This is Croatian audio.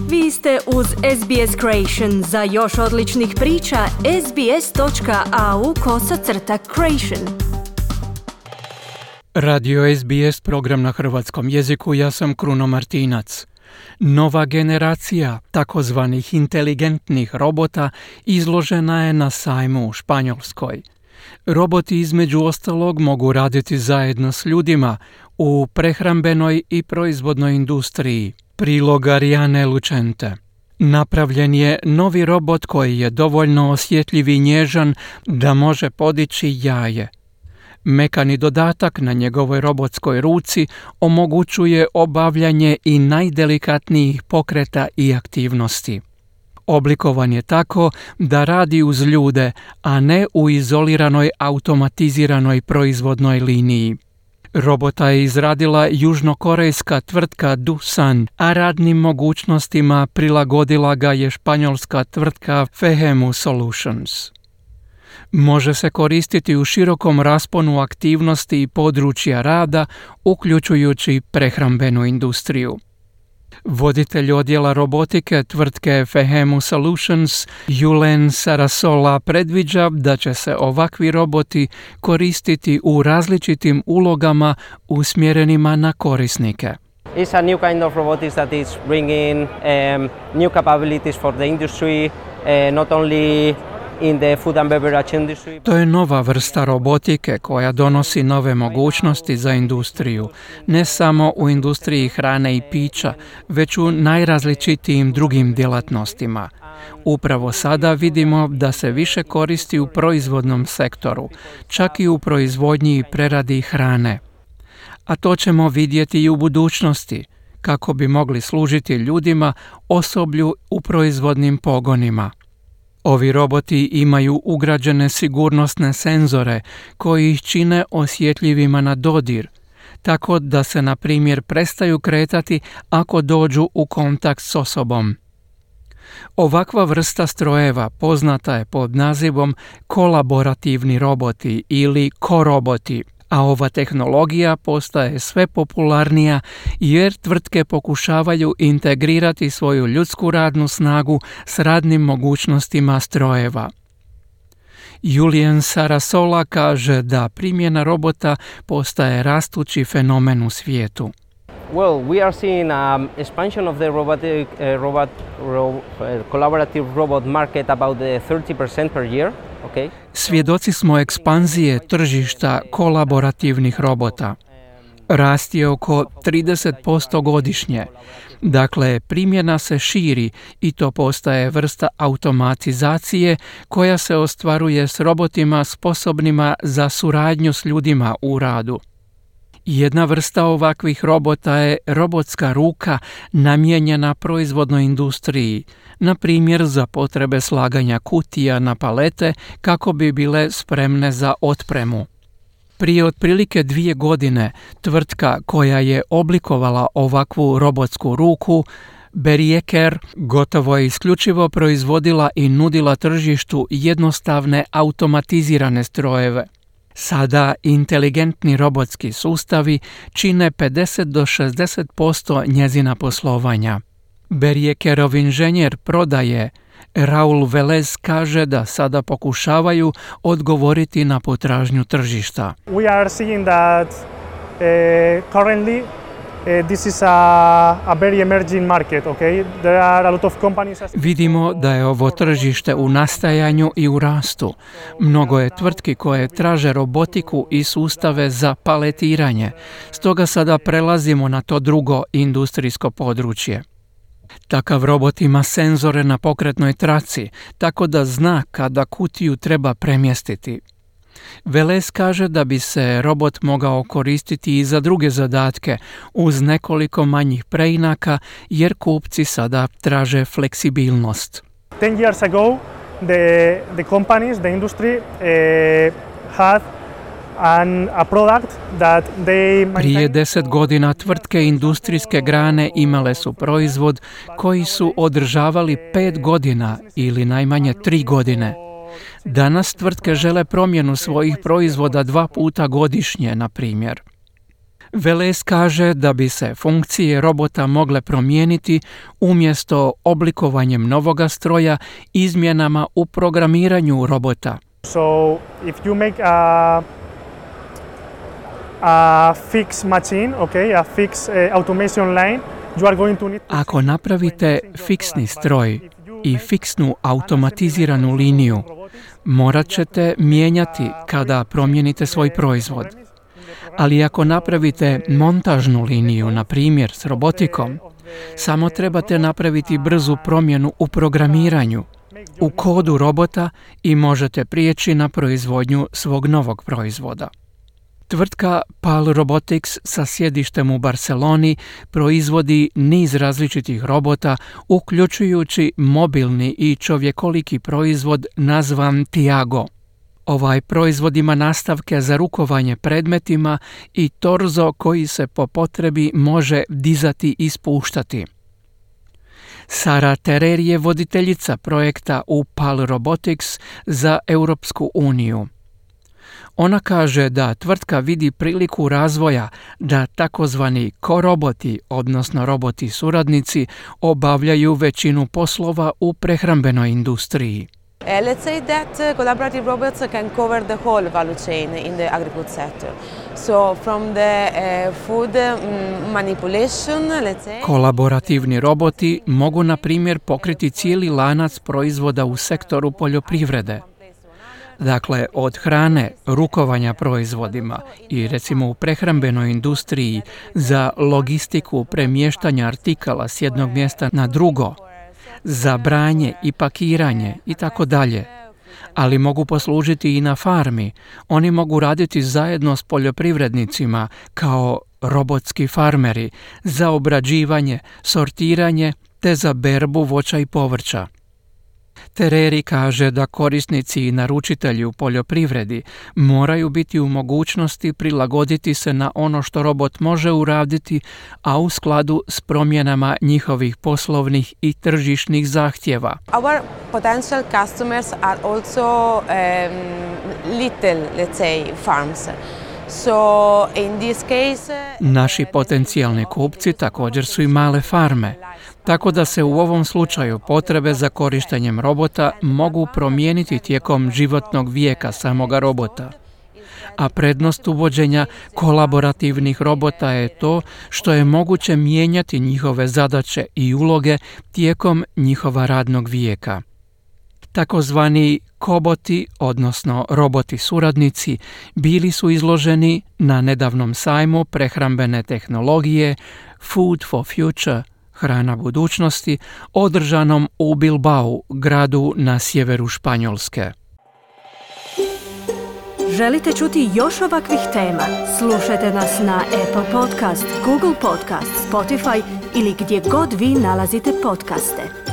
Vi ste uz SBS Creation. Za još odličnih priča, sbs.au/creation. Radio SBS, program na hrvatskom jeziku, ja sam Kruno Martinac. Nova generacija takozvanih inteligentnih robota izložena je na sajmu u Španjolskoj. Roboti između ostalog mogu raditi zajedno s ljudima u prehrambenoj i proizvodnoj industriji. Prilog Ariane Lucente. Napravljen je novi robot koji je dovoljno osjetljiv i nježan da može podići jaje. Mekani dodatak na njegovoj robotskoj ruci omogućuje obavljanje i najdelikatnijih pokreta i aktivnosti. Oblikovan je tako da radi uz ljude, a ne u izoliranoj automatiziranoj proizvodnoj liniji. Robota je izradila južnokorejska tvrtka Doosan, a radnim mogućnostima prilagodila ga je španjolska tvrtka Fehemu Solutions. Može se koristiti u širokom rasponu aktivnosti i područja rada, uključujući prehrambenu industriju. Voditelj odjela robotike tvrtke Fehemu Solutions, Julen Sarasola, predviđa da će se ovakvi roboti koristiti u različitim ulogama usmjerenima na korisnike. It's a new kind of robotics that is bringing new capabilities for the industry, not only in the food and beverage industry. To je nova vrsta robotike koja donosi nove mogućnosti za industriju, ne samo u industriji hrane i pića, već u najrazličitijim drugim djelatnostima. Upravo sada vidimo da se više koristi u proizvodnom sektoru, čak i u proizvodnji i preradi hrane. A to ćemo vidjeti i u budućnosti, kako bi mogli služiti ljudima, osoblju u proizvodnim pogonima. Ovi roboti imaju ugrađene sigurnosne senzore koji ih čine osjetljivima na dodir, tako da se, na primjer, prestaju kretati ako dođu u kontakt s osobom. Ovakva vrsta strojeva poznata je pod nazivom kolaborativni roboti ili koroboti, a ova tehnologija postaje sve popularnija jer tvrtke pokušavaju integrirati svoju ljudsku radnu snagu s radnim mogućnostima strojeva. Julian Sarasola kaže da primjena robota postaje rastući fenomen u svijetu. Well, we are seeing expansion of the collaborative robot market about 30% per year. Okay. Svjedoci smo ekspanzije tržišta kolaborativnih robota. Rast je oko 30% godišnje. Dakle, primjena se širi i to postaje vrsta automatizacije koja se ostvaruje s robotima sposobnima za suradnju s ljudima u radu. Jedna vrsta ovakvih robota je robotska ruka namijenjena proizvodnoj industriji, na primjer za potrebe slaganja kutija na palete kako bi bile spremne za otpremu. Prije otprilike 2 godine tvrtka koja je oblikovala ovakvu robotsku ruku, Berieker, gotovo je isključivo proizvodila i nudila tržištu jednostavne automatizirane strojeve. Sada inteligentni robotski sustavi čine 50 do 60% njezina poslovanja. Beriekerov inženjer prodaje Raul Velez kaže da sada pokušavaju odgovoriti na potražnju tržišta. We are seeing that currently this is a very emerging market, okay? There are a lot of companies. Vidimo da je ovo tržište u nastajanju i u rastu. Mnogo je tvrtki koje traže robotiku i sustave za paletiranje. Stoga sada prelazimo na to drugo industrijsko područje. Takav robot ima senzore na pokretnoj traci, tako da zna kada kutiju treba premjestiti. Velez kaže da bi se robot mogao koristiti i za druge zadatke uz nekoliko manjih preinaka jer kupci sada traže fleksibilnost. 10 years ago, the companies, the industry had a product that they Prije 10 godina tvrtke industrijske grane imale su proizvod koji su održavali 5 godina ili najmanje 3 godine. Danas tvrtke žele promjenu svojih proizvoda 2 puta godišnje, na primjer. Velez kaže da bi se funkcije robota mogle promijeniti umjesto oblikovanjem novoga stroja izmjenama u programiranju robota. So if you make a fixed machine, okay, a fixed automation line, you are going to need to... Ako napravite fiksni stroj i fiksnu automatiziranu liniju, morat ćete mijenjati kada promijenite svoj proizvod. Ali ako napravite montažnu liniju, na primjer s robotikom, samo trebate napraviti brzu promjenu u programiranju, u kodu robota i možete prijeći na proizvodnju svog novog proizvoda. Tvrtka PAL Robotics sa sjedištem u Barceloni proizvodi niz različitih robota, uključujući mobilni i čovjekoliki proizvod nazvan Tiago. Ovaj proizvod ima nastavke za rukovanje predmetima i torzo koji se po potrebi može dizati i spuštati. Sara Terer je voditeljica projekta u PAL Robotics za Europsku uniju. Ona kaže da tvrtka vidi priliku razvoja da takozvani koroboti, odnosno roboti suradnici, obavljaju većinu poslova u prehrambenoj industriji. Let's say that collaborative robots can cover the whole value chain in the agri-food sector. So from the food manipulation, let's say... Kolaborativni roboti mogu, na primjer, pokriti cijeli lanac proizvoda u sektoru poljoprivrede. Dakle, od hrane, rukovanja proizvodima i recimo u prehrambenoj industriji za logistiku premještanja artikala s jednog mjesta na drugo, za branje i pakiranje i tako dalje. Ali mogu poslužiti i na farmi. Oni mogu raditi zajedno s poljoprivrednicima kao robotski farmeri za obrađivanje, sortiranje te za berbu voća i povrća. Tereri kaže da korisnici i naručitelji u poljoprivredi moraju biti u mogućnosti prilagoditi se na ono što robot može uraditi, a u skladu s promjenama njihovih poslovnih i tržišnih zahtjeva. Our potential customers are also little, let's say, farms. So in this case, naši potencijalni kupci također su i male farme, tako da se u ovom slučaju potrebe za korištenjem robota mogu promijeniti tijekom životnog vijeka samoga robota. A prednost uvođenja kolaborativnih robota je to što je moguće mijenjati njihove zadaće i uloge tijekom njihova radnog vijeka. Takozvani koboti, odnosno roboti suradnici, bili su izloženi na nedavnom sajmu prehrambene tehnologije Food for Future, hrana budućnosti, održanom u Bilbao, gradu na sjeveru Španjolske. Želite čuti još ovakvih tema? Slušajte nas na Apple Podcast, Google Podcast, Spotify ili gdje god vi nalazite podcaste.